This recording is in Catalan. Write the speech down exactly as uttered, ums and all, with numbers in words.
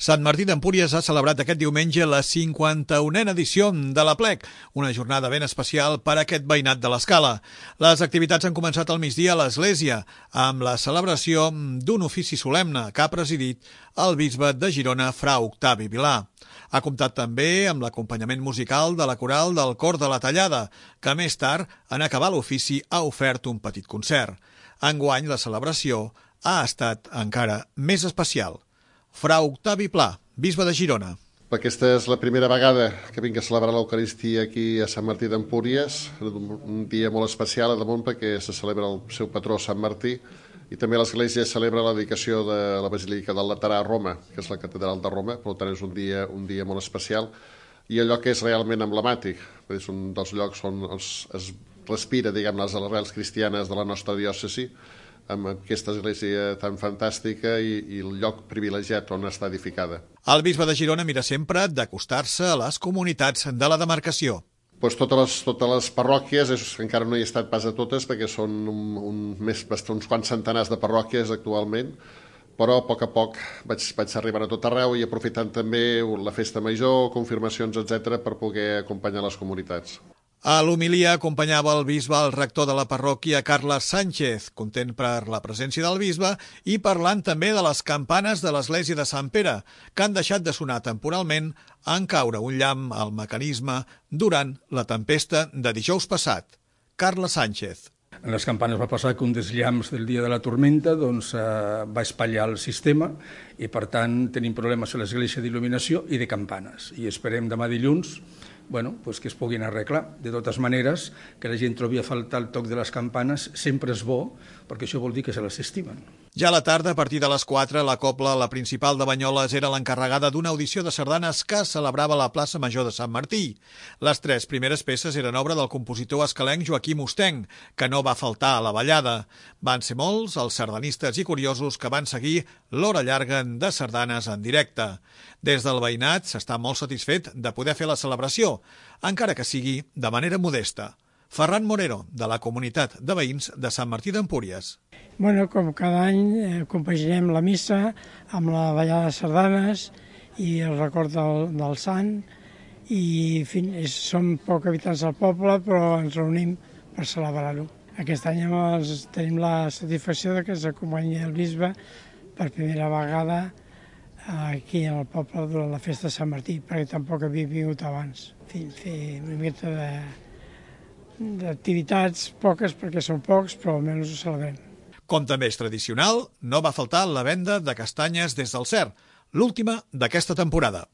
Sant Martí d'Empúries ha celebrat aquest diumenge la cinquanta-unena edició de l'Aplec, una jornada ben especial per a aquest veïnat de l'Escala. Les activitats han començat al migdia a l'església, amb la celebració d'un ofici solemne que ha presidit el bisbe de Girona, fra Octavi Vilà. Ha comptat també amb l'acompanyament musical de la coral del Cor de la Tallada, que més tard, en acabar l'ofici, ha ofert un petit concert. Enguany, la celebració ha estat encara més especial. Fra Octavi Pla, bisbe de Girona. Aquesta és la primera vegada que vinc a celebrar l'Eucaristia aquí a Sant Martí d'Empúries, un dia molt especial a damunt perquè se celebra el seu patró Sant Martí i també l'Església celebra la dedicació de la Basílica del Laterà a Roma, que és la catedral de Roma, per tant és un dia, un dia molt especial i el lloc és realment emblemàtic, és un dels llocs on es, es respira, diguem, les arrels cristianes de la nostra diòcesi, amb aquesta església tan fantàstica i, i el lloc privilegiat on està edificada. El bisbe de Girona mira sempre d'acostar-se a les comunitats de la demarcació. Pues totes, les, totes les parròquies, és, encara no hi he estat pas a totes perquè són un, un, més, uns quants centenars de parròquies actualment, però a poc a poc vaig, vaig arribar a tot arreu i aprofitant també la festa major, confirmacions, etcètera, per poder acompanyar les comunitats. A l'homilia acompanyava el bisbe el rector de la parròquia, Carles Sánchez, content per la presència del bisbe i parlant també de les campanes de l'església de Sant Pere, que han deixat de sonar temporalment en caure un llamp al mecanisme durant la tempesta de dijous passat. Carles Sánchez. En les campanes va passar que un dels llamps del dia de la tormenta doncs, eh, va espatllar el sistema i, per tant, tenim problemes a l'església d'il·luminació i de campanes. I esperem demà dilluns bueno, pues que es puguin arreglar. De totes maneres, que la gent trobi a faltar el toc de les campanes sempre és bo, perquè això vol dir que se les estimen. Ja a la tarda, a partir de les quatre, la Cobla, la principal de Banyoles, era l'encarregada d'una audició de sardanes que celebrava a la plaça Major de Sant Martí. Les tres primeres peces eren obra del compositor escalenc Joaquim Ostenc, que no va faltar a la ballada. Van ser molts els sardanistes i curiosos que van seguir l'hora llarga de sardanes en directe. Des del veïnat s'està molt satisfet de poder fer la celebració, encara que sigui de manera modesta. Ferran Morero, de la comunitat de veïns de Sant Martí d'Empúries. Bueno, com cada any eh, compaginem la missa amb la ballada de sardanes i el record del, del sant i en fi, és, som poc habitants del poble però ens reunim per celebrar-ho. Aquest any ens, tenim la satisfacció de que ens acompanyi el bisbe per primera vegada aquí al poble durant la festa de Sant Martí, perquè tampoc havia vingut abans. En fi, fer una mica de d'activitats, poques perquè són pocs, però almenys ho celebrem. Com també és tradicional, no va faltar la venda de castanyes des del Cer, l'última d'aquesta temporada.